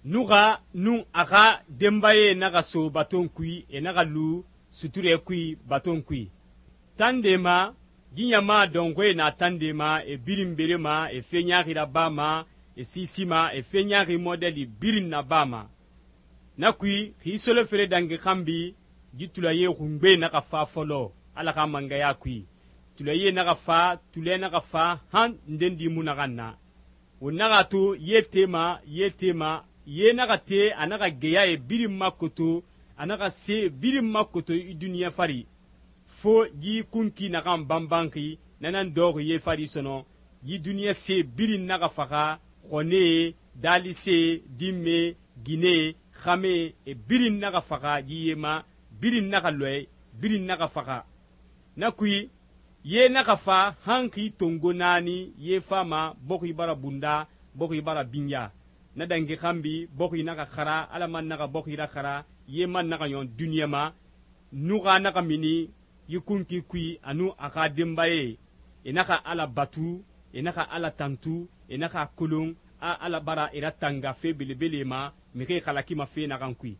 Nuxa nun a xa denbaye naxa so baton kui, e naxa lu suture kui baton kui. Tande ma, yi ɲama dɔnxɔɛ na tande ma, e birin berema, e fe ɲaaxi rabama, e sisima, e fe ɲaaxi mɔdɛli birin nabama. Na kui, xi solofere dangi xanbi, yi tulaye xungbe naxa fa fɔlɔ Ala xa mangaya kui. Tulaye naxa fa, tulɛ naxa fa, han ndendi mu naxan na. Won naxa to ye tema, ye naxa te, a naxa geya e birin makoto, a naxa se birin makoto i duniɲa fari. Fo yi kunki naxan banbanxi, nanan dɔxi ye fari sɔnɔ, yi duniɲa se birin naxa faxa, xɔnee, daalise, dinme, gine, xame, e birin naxa faxa yi ye ma, birin naxa lɔɛ, birin naxa faxa. Na kui, ye naxa fa han xi tongo naani ye fama bɔxi bara bunda, bɔxi bara binya. Na dangi xanbi bɔxi naxa xara, Ala man naxa bɔxi raxara, ye man naxa ɲɔn duniɲa ma, nuxa naxa mini yi kunki kui anu a xa denbaye. E naxa Ala batu, e naxa Ala tantu, e naxa kolon a Ala bara e ratanga fe belebele ma, mixi xalakima fe naxan kui.